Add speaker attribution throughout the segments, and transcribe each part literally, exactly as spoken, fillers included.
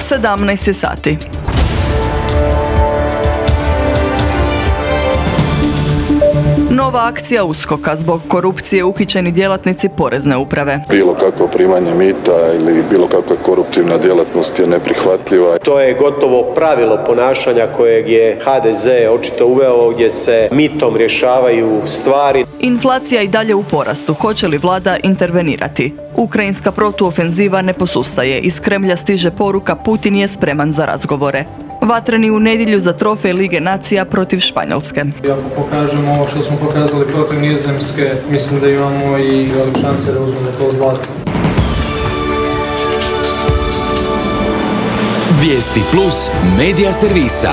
Speaker 1: sedamnaest je sati. Nova akcija uskoka zbog korupcije uhićeni djelatnici porezne uprave.
Speaker 2: Bilo kakvo primanje mita ili bilo kakva koruptivna djelatnost je neprihvatljiva.
Speaker 3: To je gotovo pravilo ponašanja kojeg je ha de ze očito uveo, gdje se mitom rješavaju stvari.
Speaker 1: Inflacija i dalje u porastu. Hoće li vlada intervenirati? Ukrajinska protuofenziva ne posustaje. Iz Kremlja stiže poruka Putin je spreman za razgovore. Vatreni u nedjelju za trofej Lige nacija protiv Španjolske.
Speaker 4: Ako pokažemo ovo što smo pokazali protiv Nizozemske, mislim da imamo i velike šanse da uzmemo to zlato.
Speaker 5: Vijesti plus medija servisa.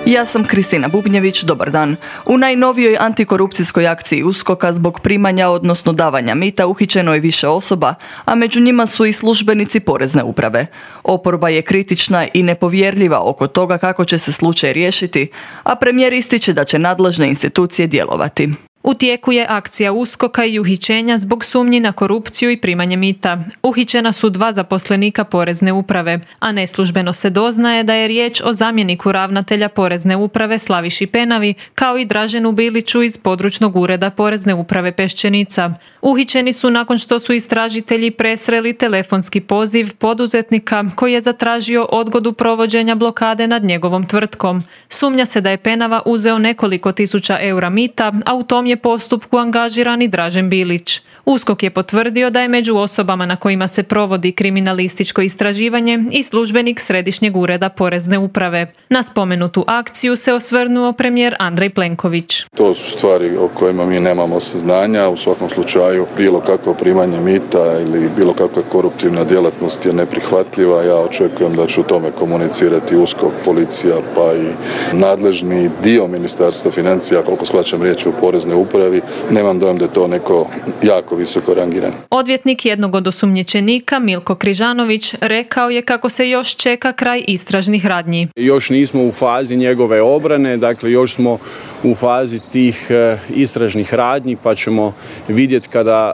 Speaker 1: Ja sam Kristina Bubnjević, dobar dan. U najnovijoj antikorupcijskoj akciji uskoka zbog primanja, odnosno davanja mita, uhićeno je više osoba, a među njima su i službenici porezne uprave. Oporba je kritična i nepovjerljiva oko toga kako će se slučaj riješiti, a premijer ističe da će nadležne institucije djelovati.
Speaker 6: U tijeku je akcija uskoka i uhićenja zbog sumnji na korupciju i primanje mita. Uhićena su dva zaposlenika porezne uprave, a neslužbeno se doznaje da je riječ o zamjeniku ravnatelja porezne uprave Slaviši Penavi, kao i Draženu Biliću iz područnog ureda porezne uprave Peščenica. Uhićeni su nakon što su istražitelji presreli telefonski poziv poduzetnika koji je zatražio odgodu provođenja blokade nad njegovom tvrtkom. Sumnja se da je Penava uzeo nekoliko tisuća eura mita, a u tom je postupku angažiran i Dražen Bilić. USKOK je potvrdio da je među osobama na kojima se provodi kriminalističko istraživanje i službenik Središnjeg ureda porezne uprave. Na spomenutu akciju se osvrnuo premijer Andrej Plenković.
Speaker 2: To su stvari o kojima mi nemamo saznanja. U svakom slučaju bilo kakvo primanje mita ili bilo kakva koruptivna djelatnost je neprihvatljiva. Ja očekujem da će u tome komunicirati USKOK, policija pa i nadležni dio Ministarstva financija, koliko shvaćam riječ u poreznoj upravi. Nemam dojam da je to neko jako visoko rangiran.
Speaker 6: Odvjetnik jednog od osumnjičenika, Milko Križanović, rekao je kako se još čeka kraj istražnih radnji.
Speaker 7: Još nismo u fazi njegove obrane, dakle još smo u fazi tih istražnih radnji, pa ćemo vidjeti kada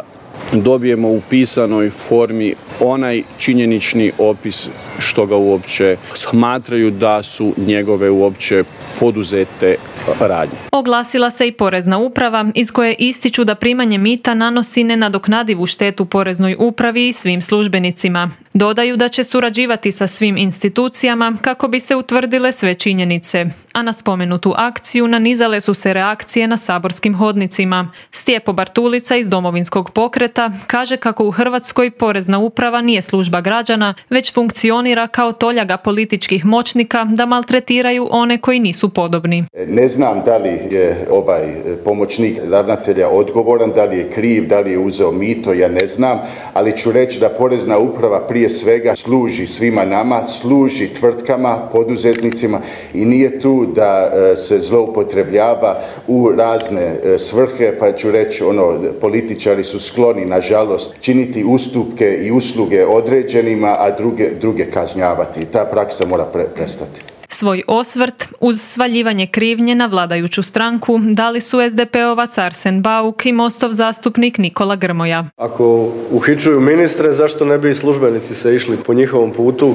Speaker 7: dobijemo u pisanoj formi onaj činjenični opis što ga uopće smatraju da su njegove uopće poduzete radnje.
Speaker 6: Oglasila se i porezna uprava iz koje ističu da primanje mita nanosi nenadoknadivu štetu poreznoj upravi i svim službenicima. Dodaju da će surađivati sa svim institucijama kako bi se utvrdile sve činjenice. A na spomenutu akciju nanizale su se reakcije na saborskim hodnicima. Stjepo Bartulica iz Domovinskog pokreta kaže kako u Hrvatskoj porezna uprava nije služba građana, već funkcionira kao toljaga političkih moćnika da maltretiraju one koji nisu podobni.
Speaker 8: Ne znam da li je ovaj pomoćnik ravnatelja odgovoran, da li je kriv, da li je uzeo mito, ja ne znam, ali ću reći da porezna uprava prije svega služi svima nama, služi tvrtkama, poduzetnicima i nije tu da se zloupotrebljava u razne svrhe, pa ću reći ono, političari su skloni nažalost činiti ustupke i usluge određenima, a druge, druge kažnjavati. I ta praksa mora pre- prestati.
Speaker 6: Svoj osvrt uz svaljivanje krivnje na vladajuću stranku dali su es de pe ovac Arsen Bauk i Mostov zastupnik Nikola Grmoja.
Speaker 3: Ako uhićuju ministre, zašto ne bi i službenici se išli po njihovom putu?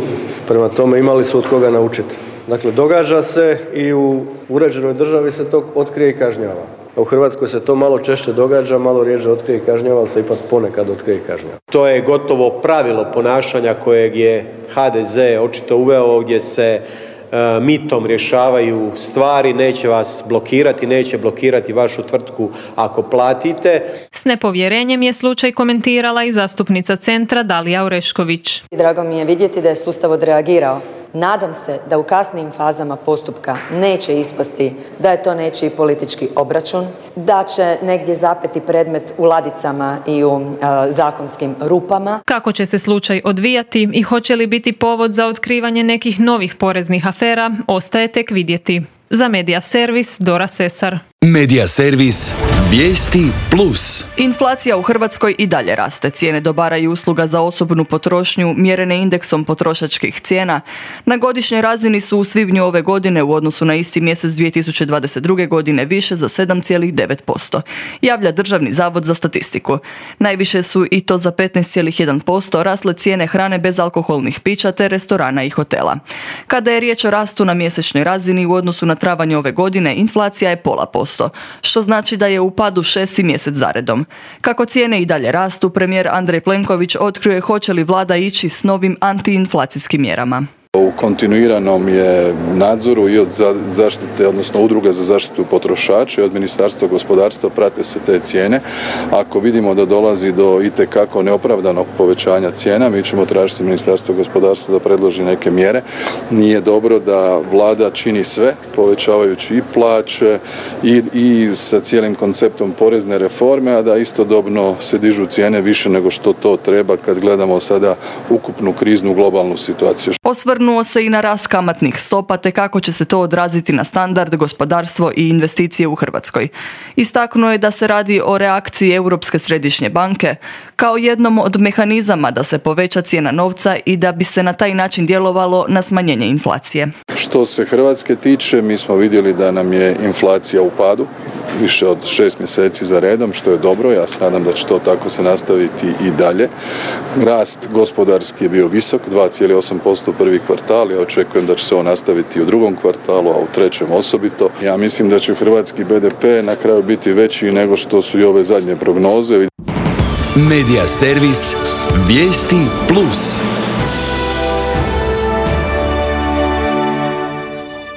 Speaker 3: Prema tome imali su od koga naučiti. Dakle, događa se i u uređenoj državi se to otkrije i kažnjava. U Hrvatskoj se to malo češće događa, malo rijeđe otkrije i kažnjava, ali se ipak ponekad otkrije i kažnjava. To je gotovo pravilo ponašanja kojeg je ha de ze očito uveo, gdje se mitom rješavaju stvari, neće vas blokirati, neće blokirati vašu tvrtku ako platite.
Speaker 6: S nepovjerenjem je slučaj komentirala i zastupnica Centra Dalija Orešković.
Speaker 9: Drago mi je vidjeti da je sustav odreagirao. Nadam se da u kasnijim fazama postupka neće ispasti da je to nečiji politički obračun, da će negdje zapeti predmet u ladicama i u e, zakonskim rupama.
Speaker 6: Kako će se slučaj odvijati i hoće li biti povod za otkrivanje nekih novih poreznih afera, ostaje tek vidjeti. Za Medija Servis, Dora Sesar.
Speaker 5: Medija Servis, vijesti plus.
Speaker 1: Inflacija u Hrvatskoj i dalje raste. Cijene dobara i usluga za osobnu potrošnju mjerene indeksom potrošačkih cijena na godišnjoj razini su u svibnju ove godine u odnosu na isti mjesec dvije tisuće dvadeset druge. godine više za sedam zarez devet posto, javlja Državni zavod za statistiku. Najviše su, i to za petnaest zarez jedan posto, rasle cijene hrane bez alkoholnih pića te restorana i hotela. Kada je riječ o rastu na mjesečnoj razini u odnosu na travanj ove godine, inflacija je pola posto, što znači da je u padu šesti mjesec zaredom. Kako cijene i dalje rastu, premijer Andrej Plenković otkrio je hoće li vlada ići s novim antiinflacijskim mjerama.
Speaker 2: U kontinuiranom je nadzoru i od zaštite, odnosno udruga za zaštitu potrošača i od Ministarstva gospodarstva prate se te cijene. Ako vidimo da dolazi do itekako neopravdanog povećanja cijena, mi ćemo tražiti Ministarstvo gospodarstva da predloži neke mjere. Nije dobro da vlada čini sve, povećavajući i plaće i, i sa cijelim konceptom porezne reforme, a da istodobno se dižu cijene više nego što to treba kad gledamo sada ukupnu kriznu globalnu situaciju.
Speaker 1: Osvrnuo se i na rast kamatnih stopa te kako će se to odraziti na standard, gospodarstvo i investicije u Hrvatskoj. Istaknuo je da se radi o reakciji Europske središnje banke kao jednom od mehanizama da se poveća cijena novca i da bi se na taj način djelovalo na smanjenje inflacije.
Speaker 2: Što se Hrvatske tiče, mi smo vidjeli da nam je inflacija u padu više od šest mjeseci za redom, što je dobro. Ja se nadam da će to tako se nastaviti i dalje. Rast gospodarski je bio visok, dva zarez osam posto prvi kvartal. Ja očekujem da će se on nastaviti u drugom kvartalu, a u trećem osobito. Ja mislim da će hrvatski be de pe na kraju biti veći nego što su i ove zadnje prognoze.
Speaker 5: Medija Servis, vijesti plus.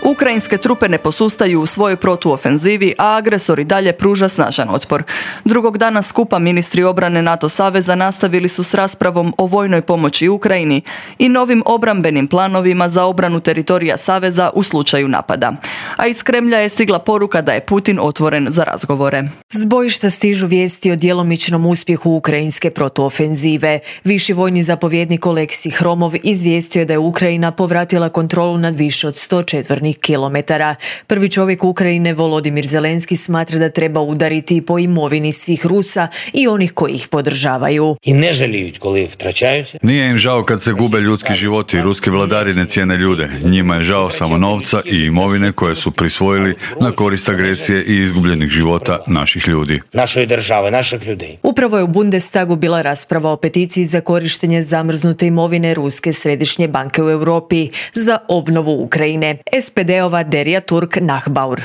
Speaker 1: Ukrajinske trupe ne posustaju u svojoj protuofenzivi, a agresor i dalje pruža snažan otpor. Drugog dana skupa ministri obrane NATO saveza nastavili su s raspravom o vojnoj pomoći Ukrajini i novim obrambenim planovima za obranu teritorija saveza u slučaju napada. A iz Kremlja je stigla poruka da je Putin otvoren za razgovore.
Speaker 10: S bojišta stižu vijesti o djelomičnom uspjehu ukrajinske protuofenzive. Viši vojni zapovjednik Oleksij Hromov izvijestio je da je Ukrajina povratila kontrolu nad više od sto četvornih kilometara. Prvi čovjek Ukrajine, Volodimir Zelenski, smatra da treba udariti po imovini svih Rusa i onih koji ih podržavaju.
Speaker 11: I ne želiju koli vtraćaju se.
Speaker 12: Nije im žao kad se gube ljudski životi. Ruski vladari ne cijene ljude. Njima je žao samo novca i imovine koje su prisvojili na korist agresije i izgubljenih života naših ljudi.
Speaker 11: Našoj države, naših ljudi.
Speaker 10: Upravo je u Bundestagu bila rasprava o peticiji za korištenje zamrznute imovine Ruske središnje banke u Europi za obnovu Ukrajine. es pe de-ova Derija Turk-Nachbaur.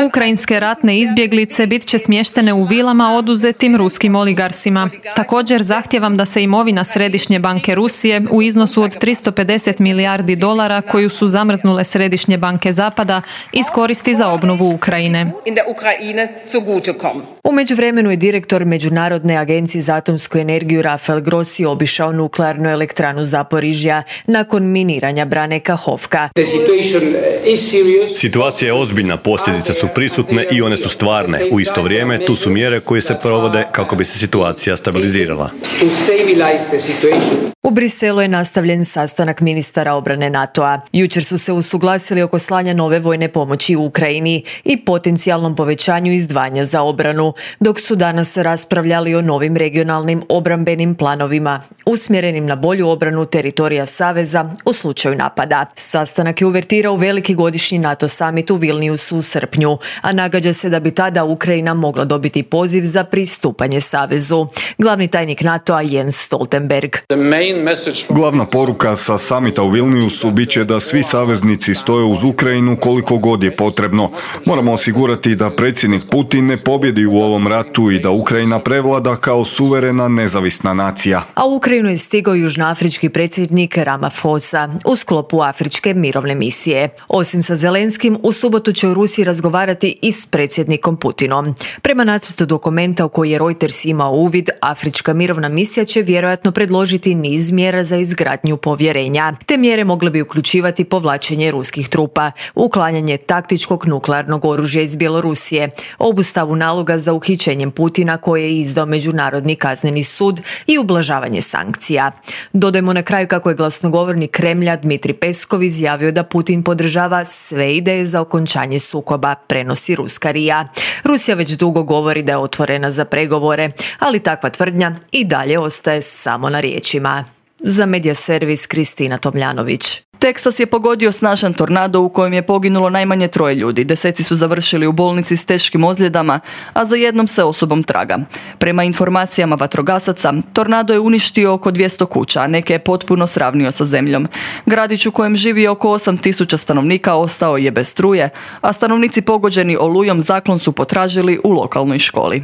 Speaker 6: Ukrajinske ratne izbjeglice bit će smještene u vilama oduzetim ruskim oligarsima. Također zahtijevam da se imovina Središnje banke Rusije u iznosu od tristo pedeset milijardi dolara koju su zamrznule Središnje banke Zapada iskoristi za obnovu Ukrajine.
Speaker 10: U međuvremenu je direktor Međunarodne agencije za atomsku energiju Rafael Grossi obišao nuklearnu elektranu Zaporižja nakon miniranja brane Kahovka.
Speaker 13: Situacija je ozbiljna, posljedice su prisutne i one su stvarne. U isto vrijeme tu su mjere koje se provode kako bi se situacija stabilizirala.
Speaker 10: U Briselu je nastavljen sastanak ministara obrane NATO-a. Jučer su se usuglasili oko slanja nove vojne pomoći u Ukrajini i potencijalnom povećanju izdvajanja za obranu, dok su danas raspravljali o novim regionalnim obrambenim planovima, usmjerenim na bolju obranu teritorija Saveza u slučaju napada. Sastanak je uvertirao veliki godišnji NATO summit u Vilniusu u srpnju, a nagađa se da bi tada Ukrajina mogla dobiti poziv za pristupanje Savezu. Glavni tajnik NATO-a Jens Stoltenberg.
Speaker 14: Glavna poruka sa samita u Vilniusu bit će da svi saveznici stoje uz Ukrajinu koliko god je potrebno. Moramo osigurati da predsjednik Putin ne pobjedi u ovom ratu i da Ukrajina prevlada kao suverena nezavisna nacija.
Speaker 10: A u Ukrajinu je stigao južnoafrički predsjednik Ramaphosa u sklopu afričke mirovne misije. Osim sa Zelenskim, u subotu će u Rusiji razgovarati i s predsjednikom Putinom. Prema nacrtu dokumenta u koji je Reuters imao uvid, afrička mirovna misija će vjerojatno predložiti niz mjera za izgradnju povjerenja. Te mjere mogle bi uključivati povlačenje ruskih trupa, uklanjanje taktičkog nuklearnog oružja iz Bjelorusije, obustavu naloga za uhićenjem Putina koje je izdao Međunarodni kazneni sud i ublažavanje sankcija. Dodajmo na kraju kako je glasnogovornik Kremlja Dmitrij Peskov izjavio da Putin Putin podržava sve ideje za okončanje sukoba, prenosi ruska R I A. Rusija već dugo govori da je otvorena za pregovore, ali takva tvrdnja i dalje ostaje samo na riječima. Za Medija servis Kristina Tomljanović.
Speaker 1: Teksas je pogodio snažan tornado u kojem je poginulo najmanje troje ljudi. Deseci su završili u bolnici s teškim ozljedama, a za jednom se osobom traga. Prema informacijama vatrogasaca, tornado je uništio oko dvjesto kuća, a neke je potpuno sravnio sa zemljom. Gradić u kojem živi oko osam tisuća stanovnika ostao je bez struje, a stanovnici pogođeni olujom zaklon su potražili u lokalnoj školi.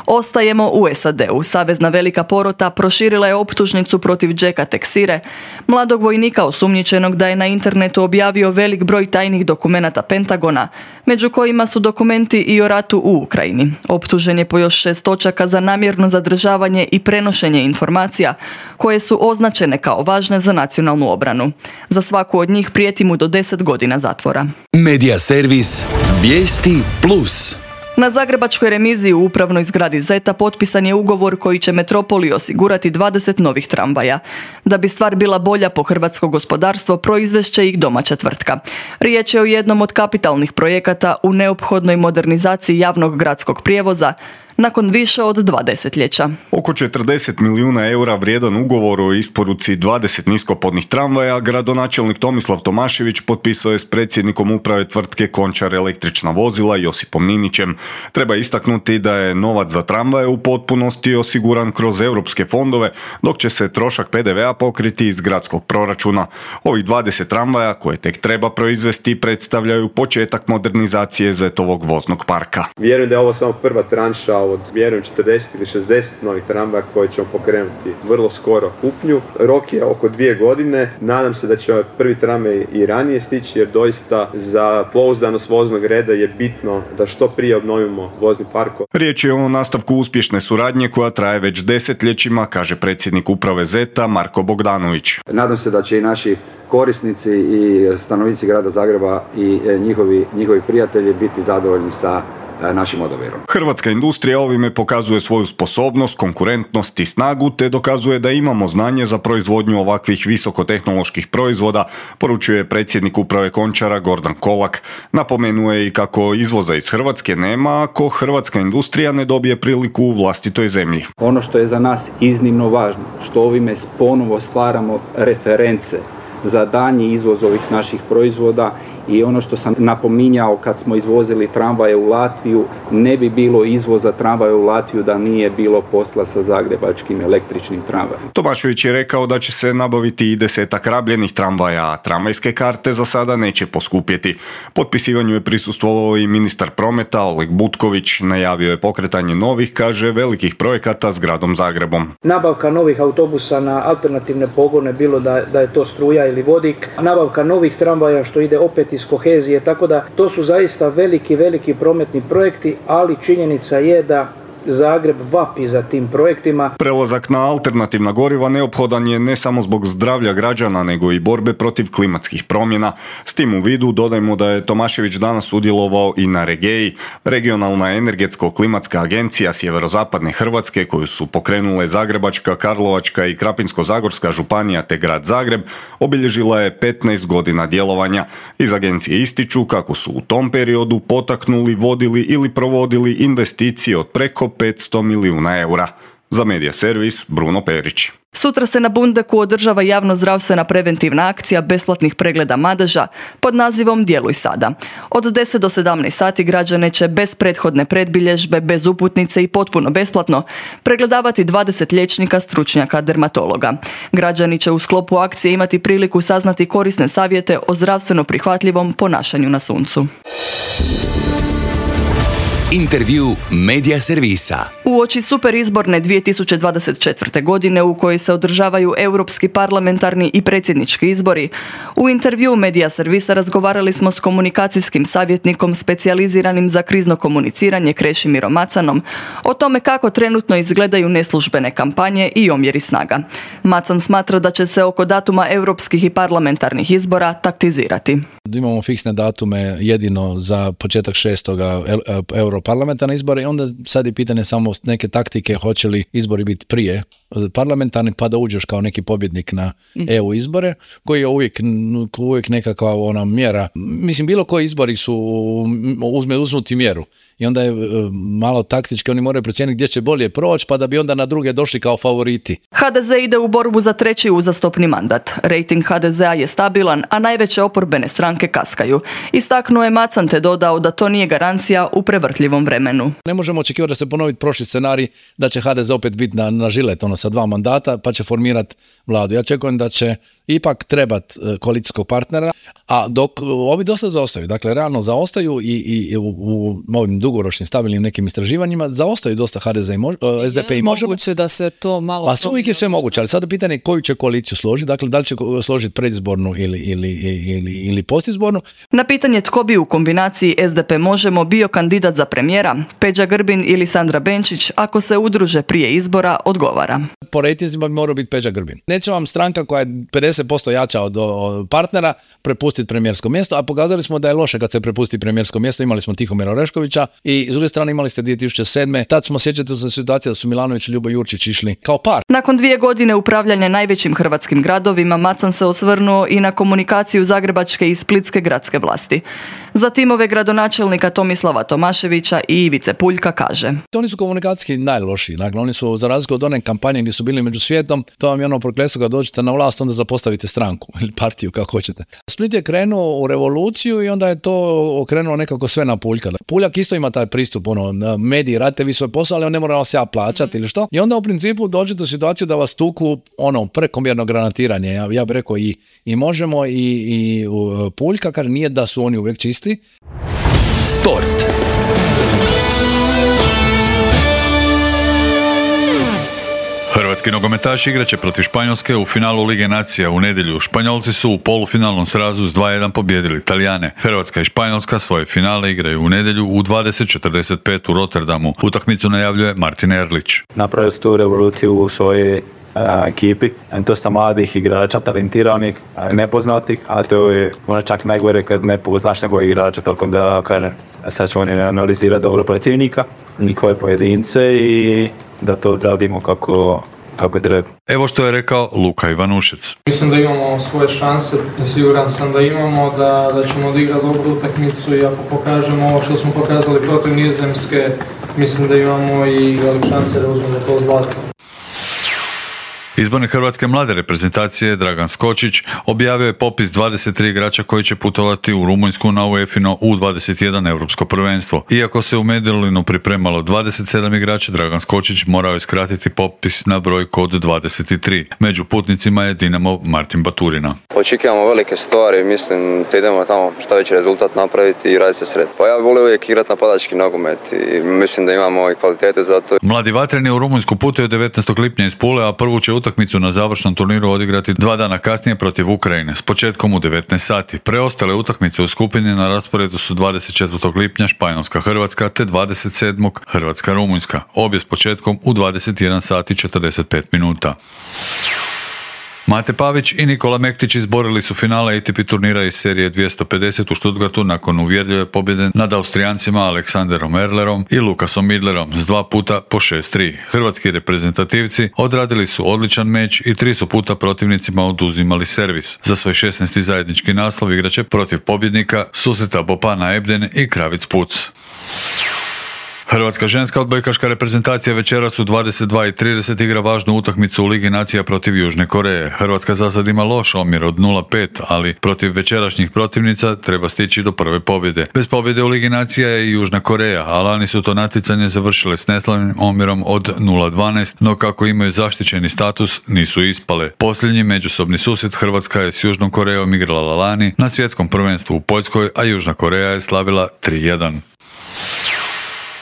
Speaker 1: Ostajemo u S A D-u. Savezna velika porota proširila je optužnicu protiv Jacka Texire, mladog vojnika osumnjičenog da je na internetu objavio velik broj tajnih dokumenata Pentagona, među kojima su dokumenti i o ratu u Ukrajini. Optužen je po još šest točaka za namjerno zadržavanje i prenošenje informacija koje su označene kao važne za nacionalnu obranu. Za svaku od njih prijeti mu do deset godina zatvora.
Speaker 5: Medija servis Vijesti plus.
Speaker 1: Na zagrebačkoj remiziji u upravnoj zgradi Zeta potpisan je ugovor koji će metropoli osigurati dvadeset novih tramvaja. Da bi stvar bila bolja po hrvatsko gospodarstvo, proizvest će ih domaća tvrtka. Riječ je o jednom od kapitalnih projekata u neophodnoj modernizaciji javnog gradskog prijevoza, nakon više od dva desetljeća.
Speaker 14: Oko četrdeset milijuna eura vrijedan ugovor o isporuci dvadeset niskopodnih tramvaja gradonačelnik Tomislav Tomašević potpisao je s predsjednikom uprave tvrtke Končar električna vozila Josipom Ninićem. Treba istaknuti da je novac za tramvaje u potpunosti osiguran kroz europske fondove, dok će se trošak P D V-a pokriti iz gradskog proračuna. Ovih dvadeset tramvaja koje tek treba proizvesti predstavljaju početak modernizacije Zetovog voznog parka.
Speaker 15: Vjerujem da je ovo samo prva tranša od vjerujem četrdeset ili šezdeset novih tramvaja koje ćemo pokrenuti vrlo skoro kupnju. Rok je oko dvije godine. Nadam se da će prvi tramvaj i ranije stići jer doista za pouzdanost voznog reda je bitno da što prije obnovimo vozni park.
Speaker 14: Riječ je o nastavku uspješne suradnje koja traje već desetljećima, kaže predsjednik uprave Zeta Marko Bogdanović.
Speaker 16: Nadam se da će i naši korisnici i stanovnici grada Zagreba i njihovi, njihovi prijatelji biti zadovoljni sa našim odabirom.
Speaker 14: Hrvatska industrija ovime pokazuje svoju sposobnost, konkurentnost i snagu, te dokazuje da imamo znanje za proizvodnju ovakvih visokotehnoloških proizvoda, poručuje predsjednik uprave Končara Gordan Kolak. Napomenuo je i kako izvoza iz Hrvatske nema ako hrvatska industrija ne dobije priliku u vlastitoj zemlji.
Speaker 17: Ono što je za nas iznimno važno, što ovime ponovo stvaramo reference za daljnji izvoz ovih naših proizvoda i ono što sam napominjao kad smo izvozili tramvaje u Latviju, ne bi bilo izvoza tramvaja u Latviju da nije bilo posla sa zagrebačkim električnim tramvajem.
Speaker 14: Tomašević je rekao da će se nabaviti i desetak rabljenih tramvaja, a tramvajske karte za sada neće poskupjeti. Potpisivanju je prisustvovao i ministar prometa Oleg Butković. Najavio je pokretanje novih, kaže, velikih projekata s gradom Zagrebom.
Speaker 18: Nabavka novih autobusa na alternativne pogone, bilo da, da je to struja ili vodik, nabavka novih tramvaja što ide opet iz kohezije, tako da to su zaista veliki, veliki prometni projekti, ali činjenica je da Zagreb vapi za tim projektima.
Speaker 14: Prelazak na alternativna goriva neophodan je ne samo zbog zdravlja građana, nego i borbe protiv klimatskih promjena. S tim u vidu dodajmo da je Tomašević danas sudjelovao i na Regeji, regionalna energetsko-klimatska agencija sjeverozapadne Hrvatske koju su pokrenule Zagrebačka, Karlovačka i Krapinsko-zagorska županija te grad Zagreb, obilježila je petnaest godina djelovanja. Iz agencije ističu kako su u tom periodu potaknuli, vodili ili provodili investicije od preko petsto milijuna eura. Za Medija servis Bruno Perić.
Speaker 1: Sutra se na Bundeku održava javno-zdravstvena preventivna akcija besplatnih pregleda madeža pod nazivom Djeluj sada. Od deset do sedamnaest sati građane će bez prethodne predbilježbe, bez uputnice i potpuno besplatno pregledavati dvadeset liječnika stručnjaka dermatologa. Građani će u sklopu akcije imati priliku saznati korisne savjete o zdravstveno prihvatljivom ponašanju na suncu.
Speaker 5: Intervju Medija servisa.
Speaker 1: Uoči super izborne dvije tisuće dvadeset četvrte. godine u kojoj se održavaju europski parlamentarni i predsjednički izbori, u intervju Medija servisa razgovarali smo s komunikacijskim savjetnikom specijaliziranim za krizno komuniciranje Krešimirom Macanom o tome kako trenutno izgledaju neslužbene kampanje i omjeri snaga. Macan smatra da će se oko datuma europskih i parlamentarnih izbora taktizirati.
Speaker 19: Imamo fiksne datume jedino za početak šestoga europarlamentarne izbore i onda sad je pitanje samo neke taktike, hoće li izbori biti prije parlamentarni pa da uđeš kao neki pobjednik na E U izbore, koji je uvijek, uvijek nekakva ona mjera. Mislim, bilo koji izbori su uzme uznuti mjeru i onda je malo taktički, oni moraju procijeniti gdje će bolje proći pa da bi onda na druge došli kao favoriti.
Speaker 1: ha de ze ide u borbu za treći uzastopni mandat. Rejting ha de zea je stabilan, a najveće oporbene stranke kaskaju. Istaknuo je Macan te dodao da to nije garancija u prevrtljivom vremenu.
Speaker 19: Ne možemo očekivati da se ponovi prošli scenarij da će ha de ze opet biti na, na žilet ono, sa dva mandata pa će formirati vladu. Ja očekujem da će ipak trebat koalicijskog partnera, a dok ovi dosta zaostaju, dakle realno zaostaju i, i u, u ovim dugoročnim stabilnim nekim istraživanjima zaostaju dosta ha de ze i mož, es de pe i Možemo.
Speaker 20: Moguće da se to malo...
Speaker 19: A uvijek je sve moguće, ali sad pitanje je koju će koaliciju složiti, dakle da li će složiti predizbornu ili, ili, ili, ili postizbornu.
Speaker 1: Na pitanje tko bi u kombinaciji es de pe Možemo bio kandidat za premijera, Peđa Grbin ili Sandra Benčić, ako se udruže prije izbora, odgovara.
Speaker 19: Po rejtinzima bi morao biti Peđa Grbin. Neće vam stranka koja je pedeset posto jača od, od partnera prepustiti premijersko mjesto, a pokazali smo da je loše kad se prepusti premijersko mjesto. Imali smo Tihomira Oreškovića i s druge strane imali ste dvije tisuće sedme. Tad smo, sjećate se situacije da su Milanović i Ljubo Jurčić išli kao par.
Speaker 1: Nakon dvije godine upravljanja najvećim hrvatskim gradovima, Macan se osvrnuo i na komunikaciju zagrebačke i splitske gradske vlasti. Za timove gradonačelnika Tomislava Tomaševića i Ivice Puljka kaže:
Speaker 19: Oni su komunikacijski najlošiji. Dakle, oni su, za razliku od one kampanje gdje su bili među svijetom, to vam je ono prokletstvo kad dođete na vlast, onda zapostavite stranku ili partiju, kako hoćete. Split je krenuo u revoluciju i onda je to okrenulo nekako sve na Puljka. Puljak isto ima taj pristup, ono, mediji, radite vi svoj posao, ali on ne mora vas ja plaćati ili što. I onda u principu dođete u situaciju da vas tuku ono, prekomjerno granatiranje. Ja, ja bih rekao i, i Možemo i, i uh, Puljka, kaže nije da su oni uvijek čisti.
Speaker 5: Sport.
Speaker 12: Hrvatski nogometaši igraće protiv Španjolske u finalu Lige nacija u nedjelju. Španjolci su u polufinalnom srazu s dva jedan pobijedili Talijane. Hrvatska i Španjolska svoje finale igraju u nedjelju u dvadeset četrdeset pet u Rotterdamu. Utakmicu najavljuje Martin Erlić.
Speaker 21: Napravili su tu revoluciju u svojoj a, ekipi. Dosta mladih igrača, talentiranih, nepoznatih, a to je možda čak najgore kad ne poznaš nego igrača, tako da kažem, sad ćemo oni analizirati dobro protivnika, njihove pojedince i da to radimo kako, kako treba.
Speaker 12: Evo što je rekao Luka Ivanušec.
Speaker 4: Mislim da imamo svoje šanse, siguran sam da imamo, da, da ćemo odigrati dobru utakmicu i ako pokažemo ovo što smo pokazali protiv Nizozemske, mislim da imamo i velike šanse da uzmemo to zlato.
Speaker 12: Izbornik hrvatske mlade reprezentacije Dragan Skočić objavio je popis dvadeset tri igrača koji će putovati u Rumunjsku na UEFA U dvadeset jedan europsko prvenstvo. Iako se u Medulinu pripremalo dvadeset sedam igrača, Dragan Skočić morao je skratiti popis na brojku od dvadeset tri. Među putnicima je Dinamo Martin Baturina.
Speaker 22: Očekujemo velike stvari, mislim da idemo tamo šta veći rezultat napraviti i raditi se sred. Pa ja volim uvijek igrati napadački nogomet i mislim da imamo i kvalitete za to.
Speaker 12: Mladi vatreni u Rumunjsku putuju devetnaestog lipnja iz Pule, a prvu će utakmicu na završnom turniru odigrati dva dana kasnije protiv Ukrajine s početkom u devetnaest sati. Preostale utakmice u skupini na rasporedu su dvadeset četvrtog lipnja Španjolska Hrvatska te dvadeset sedmog Hrvatska Rumunjska. Obje s početkom u dvadeset jedan sati i četrdeset pet minuta. Mate Pavić i Nikola Mektić izborili su finale A T P turnira iz serije dvjesto pedeset u Stuttgartu nakon uvjerljive pobjede nad Austrijancima Aleksanderom Erlerom i Lukasom Midlerom s dva puta po šest tri. Hrvatski reprezentativci odradili su odličan meč i tri su puta protivnicima oduzimali servis. Za svoj šesnaesti zajednički naslov igraće protiv pobjednika susreta Bopana Ebden i Kravic Puc. Hrvatska ženska odbojkaška reprezentacija večeras u dvadeset dva i trideset igra važnu utakmicu u Ligi nacija protiv Južne Koreje. Hrvatska za sad ima loš omjer od nula pet, ali protiv večerašnjih protivnica treba stići do prve pobjede. Bez pobjede u Ligi nacija je i Južna Koreja, a lani su to natjecanje završile s neslavnim omjerom od nula dvanaest, no kako imaju zaštićeni status, nisu ispale. Posljednji međusobni susret Hrvatska je s Južnom Korejom igrala lani na svjetskom prvenstvu u Poljskoj, a Južna Koreja je slavila tri jedan.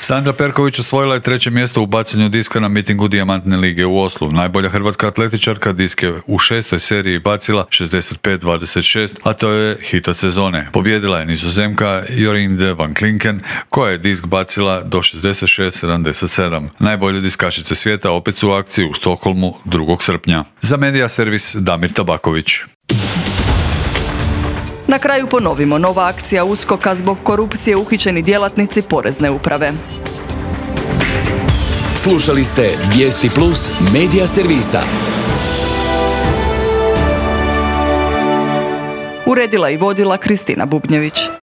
Speaker 12: Sandra Perković osvojila je treće mjesto u bacanju diska na mitingu Dijamantne lige u Oslu. Najbolja hrvatska atletičarka disk je u šestoj seriji bacila šezdeset pet dvadeset šest, a to je hit od sezone. Pobjedila je Nizozemka Jorinde van Klinken, koja je disk bacila do šezdeset šest sedamdeset sedam. Najbolje diskašice svijeta opet su u akciji u Stokholmu drugog srpnja. Za Medija servis Damir Tabaković.
Speaker 1: Na kraju ponovimo, nova akcija uskoka zbog korupcije uhićeni djelatnici porezne uprave.
Speaker 5: Slušali ste Vijesti Plus medija servisa.
Speaker 1: Uredila i vodila Kristina Bubnjević.